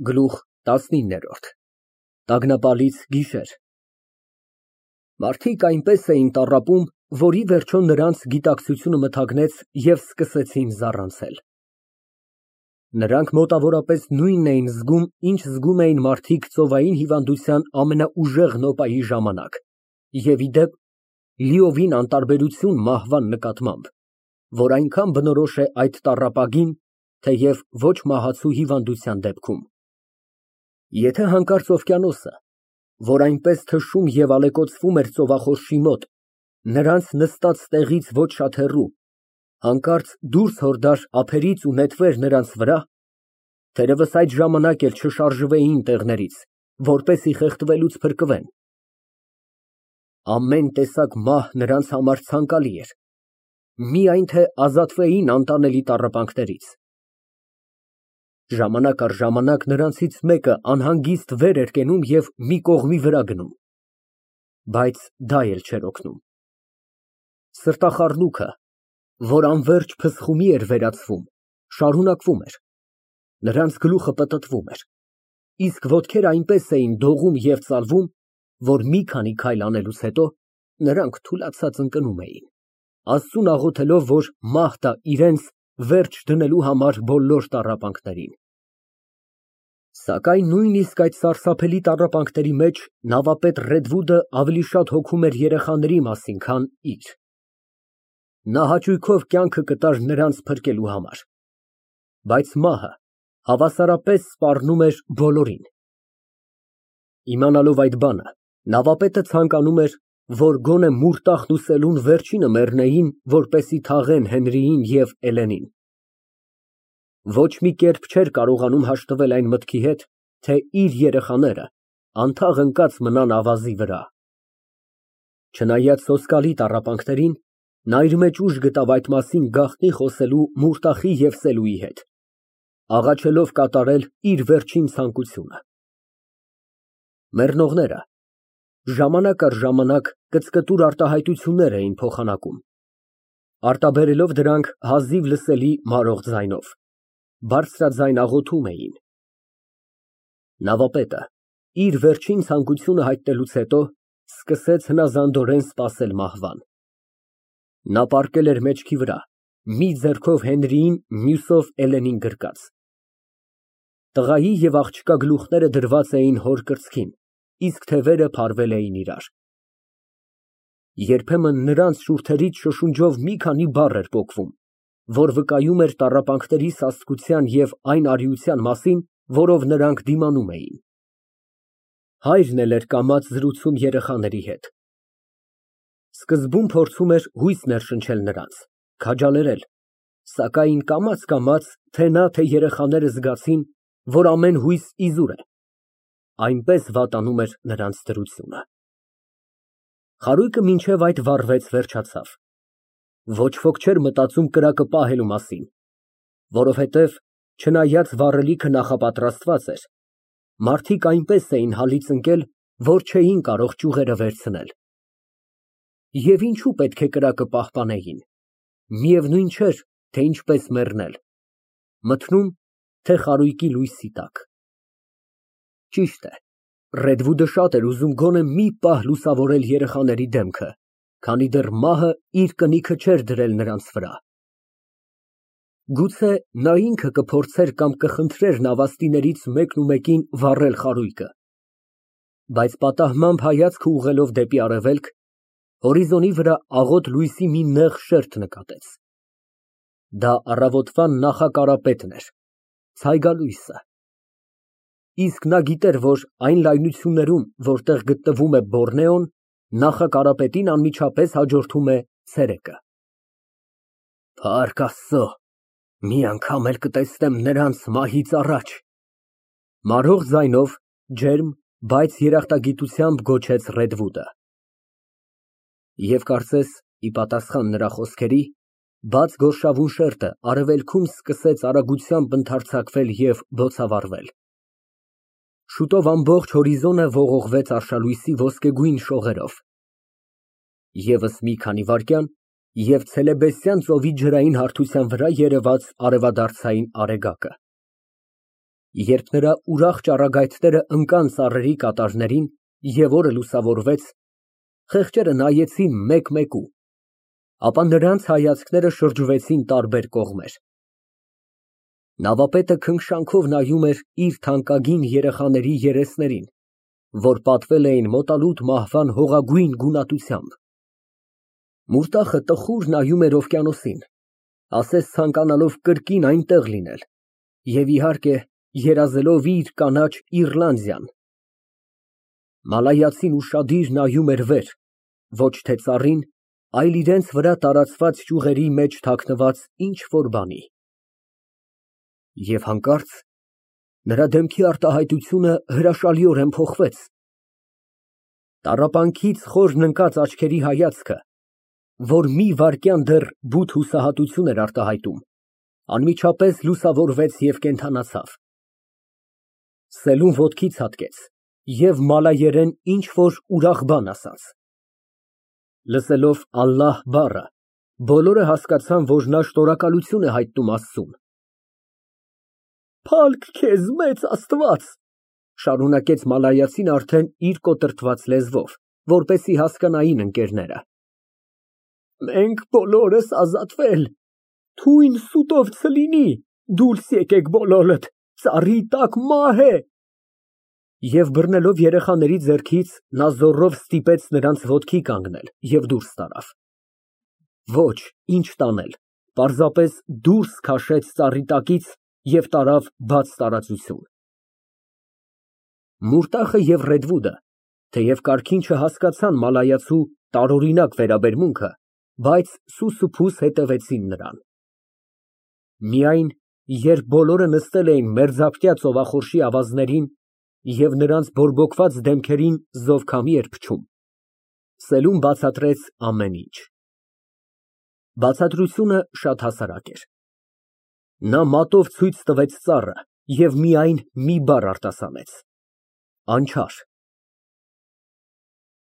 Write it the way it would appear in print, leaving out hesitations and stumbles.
Գլուխ տասնիններորդ Տագնապալից գիշեր Մարդիկ այնպես էին տառապում, որ ի վերջո նրանց գիտակցությունը մթագնեց և սկսեցին զառանցել։ Նրանք մոտավորապես նույնն էին զգում, ինչ զգում էին մարդիկ ծովային հիվանդության ամենաուժեղ նոպայի ժամանակ և, ի դեպ, լիովին անտարբերություն մահվան նկատմամբ, որ այնքան բնորոշ է այդ տառապագին, թեև ոչ մահացու հիվանդության դեպքում։ Եթե հանկարծ օվկիանոսը, որ այնպես թշում և ալեկոծվում էր ծովախորշի մոտ, նրանց նստած տեղից ոչ շատ հեռու, հանկարծ դուրս հորդար ափերից ու նետվեր նրանց վրա, թերևս այդ ժամանակ էլ չշարժվեին տեղներից, որպեսզի խեղդվելուց փրկվեն, ամեն տեսակ մահ նրանց համար ցանկալի էր, միայն թե ազատվեին անտանելի տառապանքներից։ Ժամանակ առ ժամանակ նրանցից մեկը անհանգիստ վեր էր կենում և մի կողմի վրա գնում, բայց դա էլ չէր օգնում։ Սրտախառնոքը, որ անվերջ փսխումի էր վերածվում, շարունակվում էր, նրանց գլուխը պտտվում էր, իսկ ոտքերը այնպես էին դողում և ծալվում, որ մի քանի քայլ անելուց հետո նրանք թուլացած ընկնում էին, Աստծուն աղոթելով, որ մահ տա իրենց վերջ դնելու համար բոլոր տառապանքներին։ Սակայն նույնիսկ այդ սարսափելի տառապանքների մեջ նավապետ Ռեդվուդը ավելի շատ հոգում էր երեխաների մասին, քան իր։ Նա հաճույքով կյանքը կտար նրանց փրկելու համար, բայց մահը հավասարապես սպառնում էր բոլորին։ Իմանալով այդ բանը, նավապետը ցանկանում էր, որ գոնե մուրտախն ու սելուն վերջինը մեռնեին, որպեսզի թաղեն Հենրիին և Էլենին։ Ոչ մի կերպ չէր կարողանում հաշտվել այն մտքի հետ, թե իր երեխաները անթաղ ընկած մնան ավազի վրա։ Չնայած սոսկալի տառապանքներին, նա իր մեջ ուժ գտավ այդ մասին գաղտնի խոսելու մուրտախի և սելուի հետ, աղաչելով կատարել իր վերջին ցանկությունը։ Մեռնողները ժամանակ առ ժամանակ կծկտուր արտահայտություններ էին փոխանակում, արտաբերելով դրանք հազիվ լսելի մարող ձայնով, բարձրաձայն աղոթում էին։ Նավապետը, իր վերջին ցանկությունը հայտնելուց հետո, սկսեց հնազանդորեն սպասել մահվան։ Նա պառկել էր մեջքի վրա, մի ձեռքով Հենրիին, մյուսով Էլենին գրկած։ Տղայի և աղջկա գլուխները դրված էին հոր կրծքին, իսկ թևերը փարվել էին իրար։ Երբեմն նրանց շուրթերից շշունջով մի քանի բառ էր պոկվում, որ վկայում էր տառապանքների սաստկության և այն արիության մասին, որով նրանք դիմանում էին։ Հայրն էլ էր կամաց զրուցում երեխաների հետ։ Սկզբում փորձում էր հույս ներշնչել նրանց, քաջալերել, սակայն կամաց, թե նա, թե երեխաները զգացին, որ ամեն հույս իզուր է, այնպես վատանում էր նրանց դրությունը։ Խարույկը մինչև այդ վառվեց վերջացավ։ Ոչ ոք չէր մտածում կրակը պահելու մասին, որովհետև, չնայած վառելիքը նախապատրաստված էր, մարդիկ այնպես էին հալից ընկել, որ չէին կարող ճյուղերը վերցնել։ Եվ ինչու պետք է կրակը պահպանեին, միևնույն չէր, թե ինչպես մեռնել, մթնում, թե խարույկի լույսի տակ։ Ճիշտ է, Ռեդվուդը շատ էր ուզում գոնե մի պահ լուսավորել երեխաների դեմքը, քանի դեռ մահը իր կնիքը չէր դրել նրանց վրա։ Գուցե նա ինքը կփորձեր կամ կխնդրեր նավաստիներից մեկին վառել խարույկը, բայց պատահմամբ հայացքը ուղղելով դեպի արևելք, հորիզոնի վրա աղոտ լույսի մի նեղ շերտ նկատեց։ Դա առավոտվա նախակարապետն էր, ցայգալույսը։ Իսկ նա գիտեր, որ այն լայնություններում, որտեղ գտնվում է Բոռնեոն, նախակարապետին անմիջապես հաջորդում է ցերեկը։ Փառք Աստծո, մի անգամ էլ կտեսնեմ նրանց մահից առաջ, մարող ձայնով, ջերմ, բայց երախտագիտությամբ գոչեց Ռեդվուդը։ Եվ կարծես, ի պատասխան նրա խոսքերի, բաց գորշավուն շերտը արևելքում սկսեց արագությամբ ընդարձակվել և բոցավառվել։ Շուտով ամբողջ հորիզոնը ողողվեց արշալույսի ոսկեգույն շողերով։ Եվս մի քանի վայրկյան, և Ցելեբեսյան ծովի ջրային հարթության վրա երևաց արևադարձային արեգակը։ Երբ նրա ուրախ ճառագայթները ընկան ծառերի կատարներին և օրը լուսավորվեց, խեղճերը նայեցին մեկ֊մեկու, ապա նրանց հայացքները շրջվեցին տարբեր կողմեր։ Նավապետը քնքշանքով նայում էր իր թանկագին երեխաների երեսներին, որ պատվել էին մոտալուտ մահվան հողագույն գունատությամբ։ Մուրտախը տխուր նայում էր օվկիանոսին, ասես ցանկանալով կրկին այնտեղ լինել և, իհարկե, երազելով իր կանաչ Իռլանդիան։ Մալայացին ուշադիր նայում էր վեր, ոչ թե ծառին, այլ իրենց վրա տարածված ճյուղերի մեջ թաքնված ինչ֊որ բանի։ Եվ հանկարծ նրա դեմքի արտահայտությունը հրաշալիորեն փոխվեց։ Տառապանքից խորն ընկած աչքերի հայացքը, որ մի վայրկյան դեռ բութ հուսահատություն էր արտահայտում, անմիջապես լուսավորվեց և կենդանացավ։ Սելուն ոտքի ցատկեց և մալայերեն ինչ֊որ ուրախ բան ասաց։ Լսելով «ալլահ» բառը, բոլորը հասկացան, որ նա շնորհակալություն է հայտնում Աստծուն։ «Փա՜լք քեզ, մեծ Աստված», ֊ շարունակեց մալայացին արդեն իր կոտրտված լեզվով, որպեսզի հասկանային ընկերները։ «Մենք բոլորս ազատվել, թույն սուտով չլինի, դուրս եկեք բոլորդ, ծառի տակ մահ է»։ Եվ բռնելով երեխաների ձեռքից, նա զոռով ստիպեց նրանց ոտքի կանգնել և դուրս տարավ։ Ոչ, ինչ տանել, պարզապես դուրս քաշեց ծառի տակից և տարավ բաց տարածություն։ Մուրտախը և Ռեդվուդը, թեև կարգին չհասկացան մալայացու տարօրինակ վերաբերմունքը, բայց սուսուփուս հետևեցին նրան։ Միայն, երբ բոլորը նստել էին մերձակա ծովախորշի ավազներին և նրանց բորբոքված դեմքերին զովքամի էր փչում, Սելուն բացատրեց ամեն ինչ։ Բացատրությունը շատ հասարակ էր։ Նա մատով ցույց տվեց ծառը և միայն մի բառ արտասանեց. «Անչափ»։